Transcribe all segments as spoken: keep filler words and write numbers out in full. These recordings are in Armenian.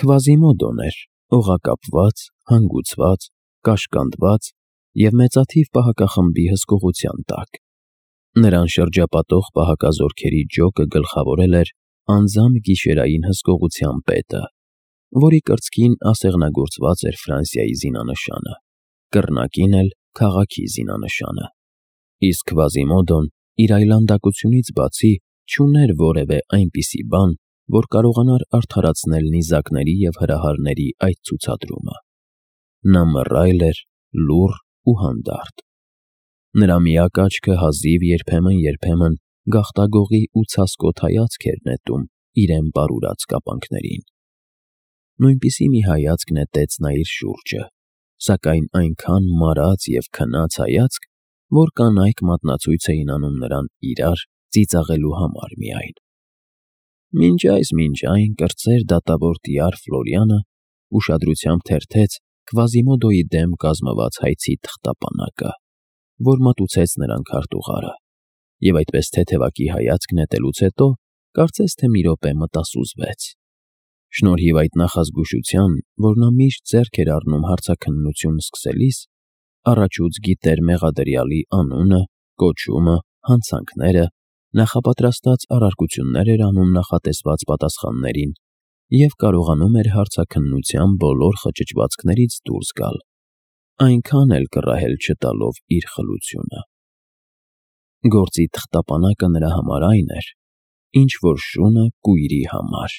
Քվազիմոդոն էր, օղակապված, հանգուցված, կաշկանդված և մեծաթիվ պահակախմբի հսկողության տակ. նրան շրջապատող պահակազորքերի ջոկը գլխավորել էր անձամբ գիշերային հսկողության պետը, որի կրծքին ասեղնագործված էր Ֆրանսիայի զինանշանը, կռնակին էլ քաղաքի զինանշանը, իսկ Քվազիմոդոն իր այլանդակությունից բացի չուներ որևէ այնպիսի բան, որ կարողանար արդարացնել նիզակների և հրահարների այդ ցուցադրումը. նա մռայլ էր, լուռ ու հանդարտ: Նրա միակ աչքը հազիվ երբեմն-երբեմն գաղտագողի ու ցասկոտ հայացք էր նետում իրեն պարուրած կապանքներին: Նույնպիսի մի հայացք նետեց նա իր շուրջը, սակայն այնքան մարած և քնած հայացք, որ կանայք մատնացույց էին անում նրան իրար ծիծաղելու համար միայն: Մինչ այս մինչ այն կրտսեր դատավոր տյար Ֆլորիանը ուշադրությամբ թերթեց Քվազիմոդոյի դեմ կազմված հայցի թղթապանակը, որ մատուցեց նրան քարտուղարը, և այդպես թեթևակի հայացք նետելուց հետո կարծես թե մի րոպե մտասուզվեց: Շնորհիվ այդ նախազգուշության, որ նա միշտ ձեռք էր առնում հարցաքննություն սկսելիս, առաջուց գիտեր մեղադրյալի անունը, կոչումը, հանցանքները, նախապատրաստած առարկություններ էր անում նախատեսված պատասխաններին և կարողանում էր հարցաքննության բոլոր խճճվածքներից դուրս գալ, այնքան էլ կռահել չտալով իր խլությունը: Գործի թղթապանակը նրա համար այն էր, ինչ որ շունը կույրի համար: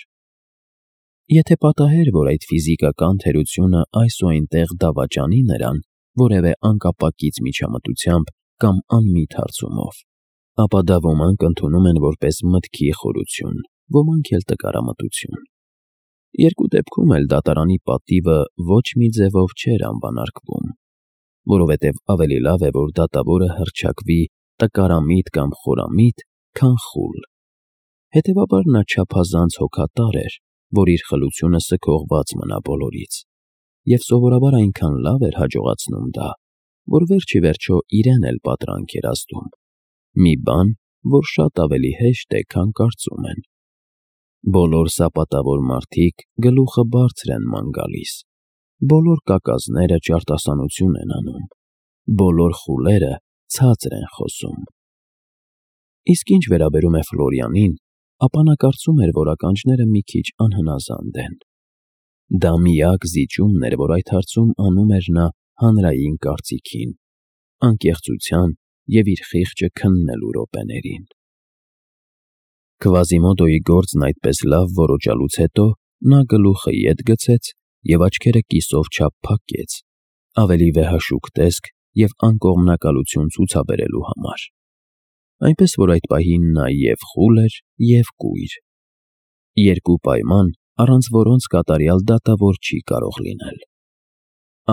Եթե պատահեր, որ այդ ֆիզիկական թերությունը այս ու այնտեղ դավաճանի նրան որևէ անկապակից միջամտությամբ կամ անմիտ հարցումով, ապա դա ոմանք ընդունում են որպես մտքի խորություն, ոմանք էլ տկարամտություն: Երկու դեպքում էլ դատարանի պատիվը ոչ մի ձևով չէր անվանարկվում, որովհետև ավելի լավ է, որ դատավորը հռչակվի տկարամիտ կամ խորամիտ, քան խուլ: Հետևաբար նա չափազանց հոգատար էր, որ իր խլությունը սգողված մնա բոլորից, և սովորաբար այնքան լավ էր հաջողացնում դա, որ վերջիվերջո իրեն էլ պատրանք էր ազդում, մի բան, որ շատ ավելի հեշտ է, քան կարծում են: Բոլոր սապատավոր մարդիկ գլուխը բարձր են ման գալիս, բոլոր կակազները ճարտասանություն են անում, բոլոր խուլերը ցածր են խոսում: Իսկ ինչ վերաբերում է Ֆլորիանին, ապա նա կարծում էր, որ ականջները մի քիչ անհնազանդ են: Դա միակ զիջումն էր, որ այդ հարցում անում էր նա հանրային կարծիքին, անկեղծության և իր խիղճը քննելու րոպեներին: Քվազիմոդոյի գործն այդպես լավ որոջալուց հետո նա գլուխը ետ գցեց և աչքերը կիսով չափ փակեց, ավելի վեհաշուկ տեսք և անկողմնակալություն ցուցաբերելու համար: Այնպես որ այդ պահին նա և խուլ էր և կույր: Երկու պայման, առանց որոնց կատարյալ դատավոր չի կարող լինել: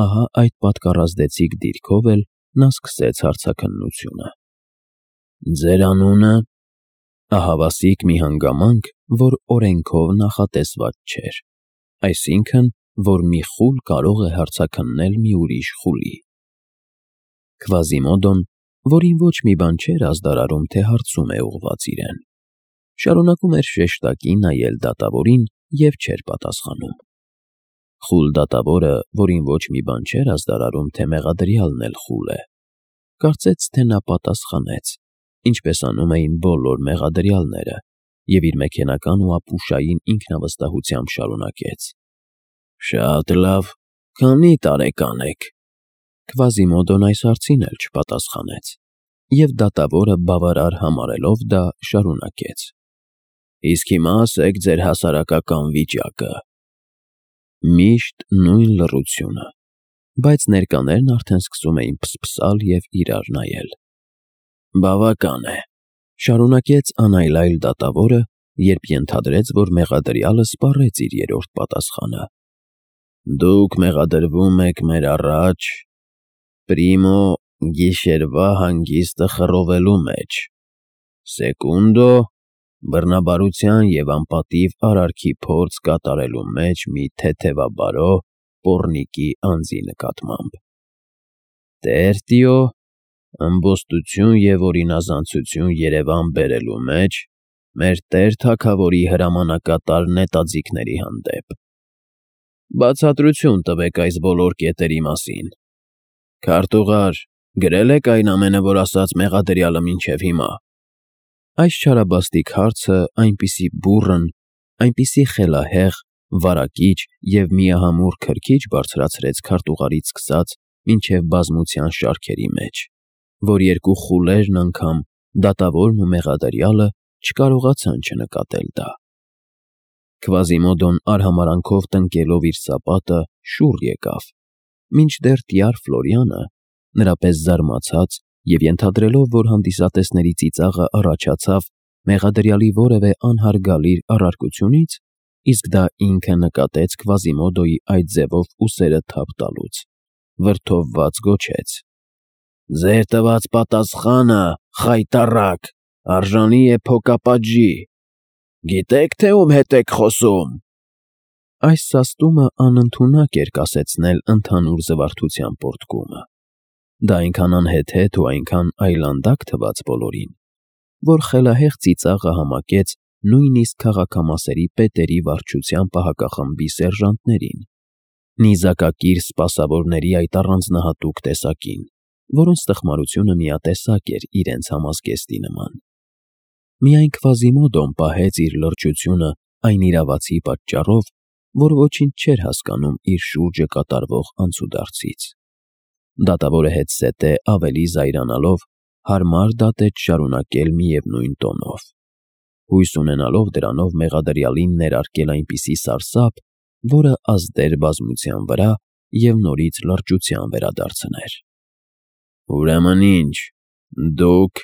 Ահա այդ պատկառազդեցիկ դիրքով էլ նա սկսեց հարցաքննությունը: Ձեր անունը… Ահավասիկ մի հանգամանք, որ օրենքով նախատեսված չէր, այսինքն, որ մի խուլ կարող է հարցաքննել մի ուրիշ խուլի: Քվազիմոդոն, որին ոչ մի բան չէր ազդարարում, թե հարցում է ուղղված իրեն, շարունակում էր շեշտակի նայել դատավորին և չէր պատասխանում: Խուլ դատավորը, որին ոչ մի բան չէր ազդարարում, թե մեղադրյալն էլ խուլ է, կարծեց, թե նա պատասխանեց, ինչպես անում էին բոլոր մեղադրյալները, և իր մեքենական ու ապուշային ինքնավստահությամբ շարունակեց. Շատ լավ, քանի՞ տարեկան եք: Քվազիմոդոն այս հարցին էլ չպատասխանեց, և դատավորը բավարար համարելով դա, շարունակեց. Իսկ հիմա ասեք ձեր հասարակական վիճակը: Միշտ նույն լռությունը, բայց ներկաներն արդեն սկսում էին փսփսալ և իրար նայել: Բավական է, շարունակեց անայլայլ դատավորը, երբ ենթադրեց, որ մեղադրյալը սպառեց իր երրորդ պատասխանը: Դուք մեղադրվում եք մեր առաջ… Պրիմո գիշերվա հանգիստը խռովելու մեջ, սեկունդո բռնաբարության և անպատիվ արարքի փորձ կատարելու մեջ մի թեթևաբարո պոռնիկի անձի նկատմամբ, տերտիո ըմբոստություն և օրինազանցություն Երևան բերելու մեջ մեր տեր թագավորի հրամանեկատար նետաձիգների հանդեպ: Բացատրություն տվեք այս բոլոր կետերի մասին։ Քարտուղար, գրե՞լ եք այն ամենը, որ ասաց մեղադրյալը մինչև հիմա։ Այս չարաբաստիկ հարցը այնպիսի բուռն, այնպիսի խելահեղ, վարակիչ և միահամուռ քրքիջ բարձրացրեց քարտուղարից սկսած մինչև բազմության շարքերի մեջ, որ երկու խուլերն անգամ, դատավորն ու մեղադրյալը, չկարողացան չնկատել դա։ Քվազիմոդոն արհամարհանքով տնկելով իր սապատը շուռ եկավ, մինչդեռ տյար Ֆլորիանը, նրա պես զարմացած և ենթադրելով, որ հանդիսատեսների ծիծաղը առաջացավ մեղադրյալի որևէ անհարգալիր առարկությունից, իսկ դա ինքը նկատեց Քվազիմոդոյի այդ ձևով ուսերը թափ տալուց, վրդովված գոչեց. «Ձեր տված պատասխանը, խայտառակ, արժանի է փոկապատժի։ Գիտե՞ք, թե ում հետ եք խոսում»։ Այս սաստումը անընդունակ էր կասեցնել ընդհանուր զվարթության պոռթկումը։ Դա այնքան անհեթեթ ու այնքան այլանդակ թվաց բոլորին, որ խելահեղ ծիծաղը համակեց նույնիսկ քաղաքամասերի պետերի վարչության պահակախմբի սերժանտներին, նիզակակիր սպասավորների այդ առանձնահատուկ տեսակին, որոնց տխմարությունը միատեսակ էր իրենց համազգեստի նման։ Միայն Քվազիմոդոն պահեց իր լրջությունը այն իրավացի պատճառով, որ ոչինչ չէր հասկանում իր շուրջը կատարվող անցուդարձից։ Դատավորը հետզհետե ավելի զայրանալով հարմար դատեց շարունակել միևնույն տոնով, հույս ունենալով դրանով մեղադրյալին ներարկել այնպիսի սարսափ, որը ազդեր բազմության վրա և նորից լրջության վերադարձներ։ «Ուրեմն ինչ, դուք,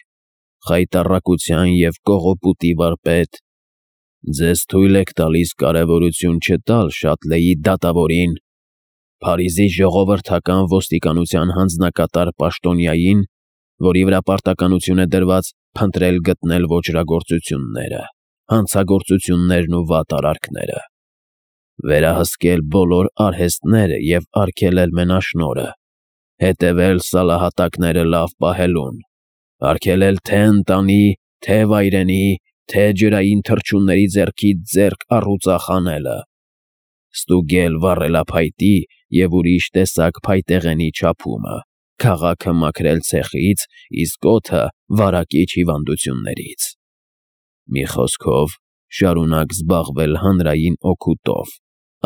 խայտառակության և կողոպուտի վարպետ, ձեզ թույլ եք տալիս կարևորություն չտալ Շատլեի դատավորին, Փարիզի ժողովրդական ոստիկանության հանձնակատար պաշտոնյային, որի վրա պարտականություն է դրված փնտրել գտնել ոճրագործությունները, հանցագործություններն ու վատ արարքները, վերահսկել բոլոր արհեստները և արգելել մենաշնորհը, հետևել սալահատակները լավ պահելուն, արգելել թե՛ ընտանի, թե՛ վայրենի, թե՛ ջրային թռչունների ձեռքից ձեռք առուծախ անելը, ստուգել վառելափայտի և ուրիշ տեսակ փայտեղենի չափումը, քաղաքը մաքրել ցեխից, իսկ օդը վարակիչ հիվանդություններից։ Մի խոսքով, շարունակ զբաղվել հանրային օգուտով,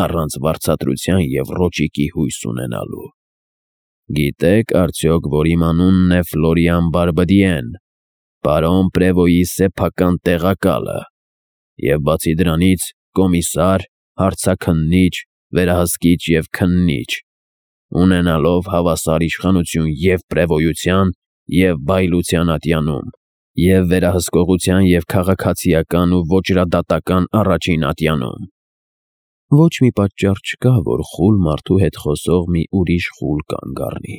առանց վարձատրության և ռոճիկի հույս ունենալու։ Գիտե՞ք արդյոք, որ իմ անունն է Ֆլորիան Բարբդիեն, պարոն Պրևոյի սեփական տեղակալը, և բացի դրանից կոմիսար, հարցաքննիչ, վերահսկիչ և քննիչ, ունենալով հավասար իշխանություն և պրևոյության, և բայլության ատյանում, և վերահսկողության և քաղաքացիական ու ոճրադատական առաջին ատյանում։ Ոչ մի պատճառ չկա, որ խուլ մարդու հետ խոսող մի ուրիշ խուլ կանգ առնի։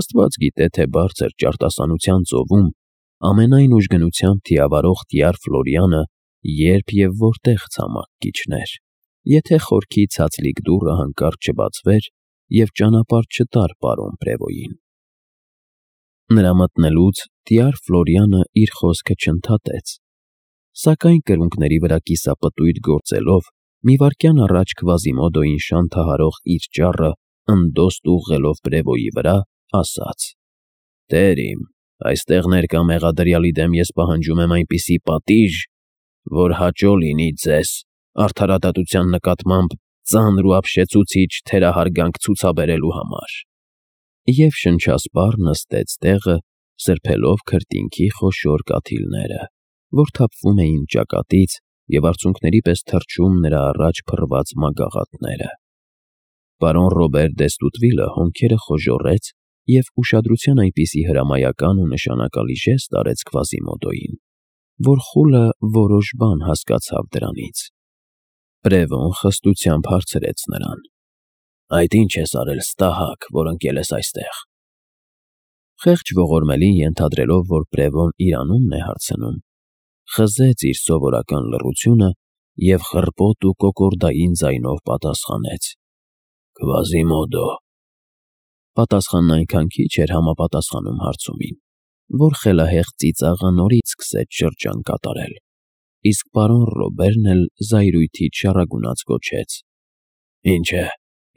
Աստված գիտե, թե բարձր ճարտասանության ծովում ամենայն ուժգնությամբ թիավարող տյար Ֆլորիանը երբ և որտեղ ցամաք կիջներ, եթե խորքի ցածլիկ դուռը հանկարծ չբացվեր և ճանապարհ չտար պարոն Պրևոյին։ Նրա մտնելուց տյար Ֆլորիանը իր խոսքը չընդհատեց, սակայն կրունկների վրա կիսապտույտ գործելով, մի վայրկյան առաջ Քվազիմոդոյին շանթահարող իր ճառը ընդոստ ուղղելով Պրևոյի վրա, ասաց. «Տեր իմ, այստեղ ներկա մեղադրյալի դեմ ես պահանջում եմ այնպիսի պատիժ, որ հաճո լինի ձեզ արդարադատության նկատմամբ ծանր ու ապշեցուցիչ թերահարգանք ցուցաբերելու համար»։ Եվ շնչասպառ նստեց տեղը, սրբելով քրտինքի խոշոր կաթիլները, որ թափվում էին ճակատից և արցունքների պես թռչում նրա առաջ փռված մագաղաթները։ Պարոն Ռոբեր դ'Եստուդվիլը հոնքերը խոժոռեց և ուշադրության այնպիսի հրամայական ու նշանակալի ժեստ արեց Քվազիմոդոյին, որ խուլը որոշ բան հասկացավ դրանից։ Պրևոն խստությամբ հարցրեց նրան. «Այդ ի՞նչ ես արել ստահակ, որ ընկել ես այստեղ»։ Խեղճ ողորմելին ենթադրելով, որ Պրևոն իր անունն է հարցնում, խզեց իր սովորական լռությունը և խռպոտ ու կոկորդային ձայնով պատասխանեց. «Քվազիմոդո»։ Պատասխանն այնքան քիչ էր համապատասխանում հարցումին, որ խելահեղ ծիծաղը նորից սկսեց շրջան կատարել, իսկ պարոն Ռոբերն էլ զայրույթից շառագունած գոչեց. Ինչ է,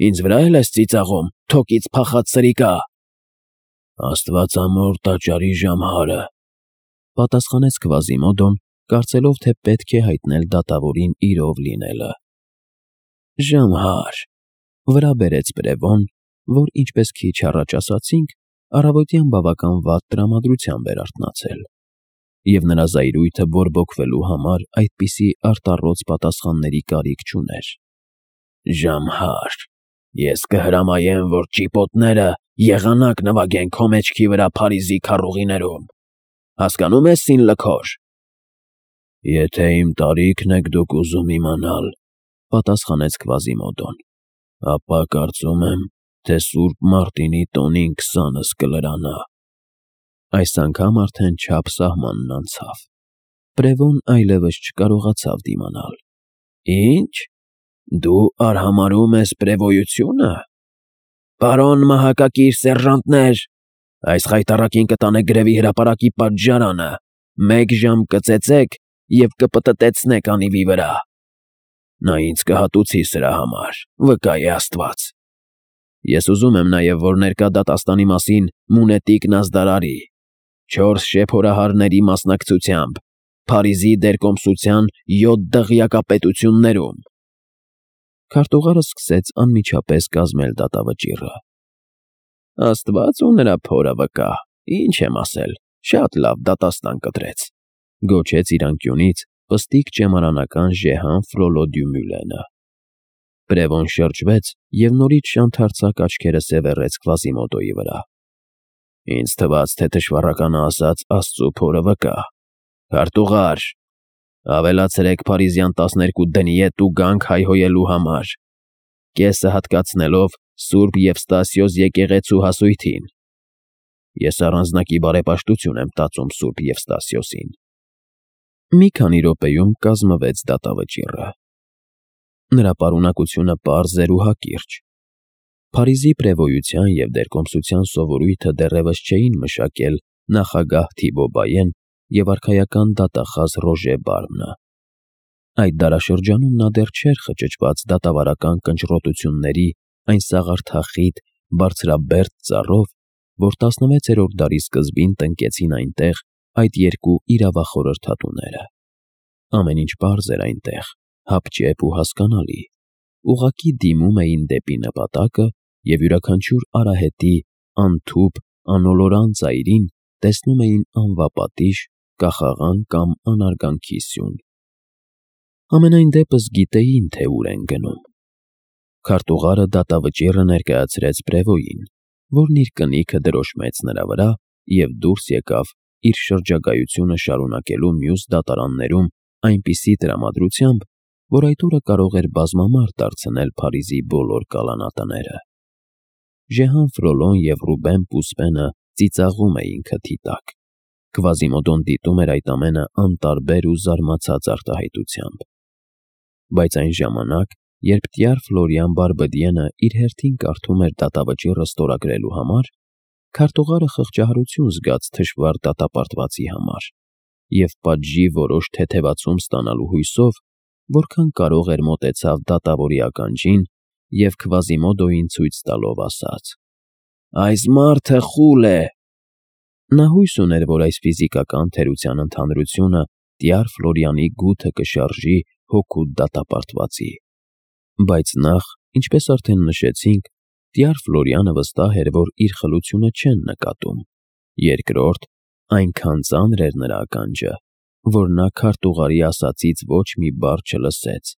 ինձ վրա էլ ես ծիծաղում, թոկից փախած սրիկա։ Աստվածամոր տաճարի ժամհարը, պատասխանեց Քվազիմոդոն, կարծելով, թե պետք է հայտնել դատավորին իրով լինելը։ Ժամհար, վրա բերեց Բրևոն, որ, ինչպես քիչ առաջ ասացինք, առավոտյան բավական վատ տրամադրությամբ էր արթնացել, և նրա զայրույթը բորբոքվելու համար այդպիսի արտառոց պատասխանների կարիք չուներ։ Ժամհար, ես կհրամայեմ, որ ճիպոտները եղանակ նվագեն քո մեջքի վրա Փարիզի քառուղիներում, հասկանո՞ւմ ես, սինլքոր։ Եթե իմ տարիքն եք դուք ուզում իմանալ, պատասխանեց Քվազիմոդոն, ապա կարծում եմ, թե Սուրբ Մարտինի տոնին քսանս կլրանա։ Այս անգամ արդեն չափ սահմանն անցավ։ Բրևոն այլևս չկարողացավ դիմանալ։ Ինչ, դու արհամարհում ես պրևոյությունը։ Պարոն մահակակիր սերժանտներ, այս խայտառակին կտանե գրևի հրապարակի պատժարանը, մեկ ժամ կծեծեք և կպտտեցնեք անիվի վրա։ Նա ինձ կհատուցի սրա համար, վկա է Աստված։ Ես ուզում եմ նաև, որ ներկա դատաստանի մասին մունետիկն ազդարարի, չորս շեփորահարների մասնակցությամբ, Փարիզի դերկոմսության յոթ դղյակապետություններում։ Քարտուղարը սկսեց անմիջապես կազմել դատավճիռը։ Աստված ու նրա փորը վկա, ինչ եմ ասել, շատ լավ դատաստան կտրեց, գոչեց իր անկյունից պստիկ ճեմարանական Ժեհան Ֆրոլո դյու Մյուլենը։ Բրևոն շրջվեց և նորից շանթարցակ աչքերը սևեռեց Քվազիմոդոյի վրա։ Ինձ թվաց, թե թշվառականը ասաց Աստծու փորը վկա։ Քարտուղար, ավելացրեք Փարիզյան տասներկու դնիետ ու գանք հայհոյելու համար, կեսը հատկացնելով Սուրբ Եվստասիոս եկեղեցու հասույթին։ Ես առանձնակի բարեպաշտություն եմ տածում Սուրբ Եվստասիոսին։ Մի քանի րոպեում կազմվեց դատավճիռը։ Նրա պարունակությունը պարզ էր ու հակիրճ։ Փարիզի պրևոյության և դերկոմսության սովորույթը դեռևս չէին մշակել նախագահ Թիբո Բայեն և արքայական դատախազ Ռոժե Բարմնը։ Այդ դարաշրջանում նա դեռ չէր խճճված դատավարական կնճռոտությունների այն սաղարթախիտ, բարձրաբերդ ծառով, որ տասնվեցերորդ դարի սկզբին տնկեցին այնտեղ այդ երկու իրավախորհրդատուները։ Ամեն ինչ պարզ էր այնտեղ, հապճեպ ու հասկանալի, ուղղակի դիմում էին դեպի նպատակը և յուրաքանչյուր արահետի անթուփ, անոլորան ծայրին տեսնում էին անվապատիժ, կախաղան կամ անարգանքի սյուն։ Համենայն դեպս գիտեին, թե ուր են գնում։ Քարտուղարը դատավճիռը ներկայացրեց պրևոյին, որն իր կնիքը դրոշմեց նրա վրա և դուրս եկավ իր շրջագայությունը շարունակելու մյուս դատարաններում այնպիսի տրամադրությամբ, որ այդ օրը կարող էր բազմամարդ դարձնել Փարիզի բոլոր կալանատները։ Ժեհան Ֆրոլոն և Ռուբեն Պուսպենը ծիծաղում էին քթի տակ։ Քվազիմոդոն դիտում էր այդ ամենը անտարբեր ու զարմացած արտահայտությամբ։ Բայց այն ժամանակ, երբ տյար Ֆլորիան Բարբդիենը իր հերթին կարդում էր դատավճիռը ստորագրելու համար, քարտուղարը խղճահարություն զգաց թշվառ դատապարտվածի համար և պատժի որոշ թեթևացում ստանալու հույսով, որքան կարող էր մոտեցավ դատավորի ականջին և Քվազիմոդոյին ցույց տալով ասաց. «Այս մարդը խուլ է»։ Նա հույս ուներ, որ այս ֆիզիկական թերության ընդհանրությունը տյար Ֆլորիանի գութը կշարժի հօգուտ դատապարտվածի։ Բայց նախ, ինչպես արդեն նշեցինք, տյար Ֆլորիանը վստահ էր, որ իր խլությունը չեն նկատում։ Երկրորդ, այնքան ծանր էր նրա ականջը, որ նա քարտուղարի ասածից ոչ մի բառ չլսեց,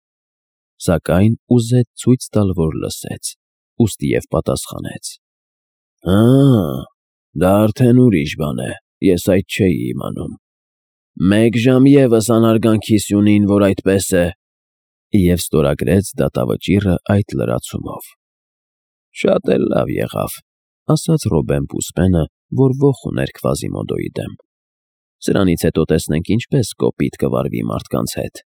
սակայն ուզեց ցույց տալ, որ լսեց, ուստիև պատասխանեց. «Հը, դա արդեն ուրիշ բան է, ես այդ չէի իմանում։ Մեկ ժամ ևս անարգանքի սյունին, որ այդպես է», և ստորագրեց դատավճիռը այդ լրացումով։ «Շատ էլ լավ եղավ», ասաց Ռոբեն Պուսպենը, որ ոխ ուներ Քվազիմոդոյի դեմ։ «Սրանից հետո տեսնենք ինչպես կոպիտ կվարվի մարդկանց հետ»։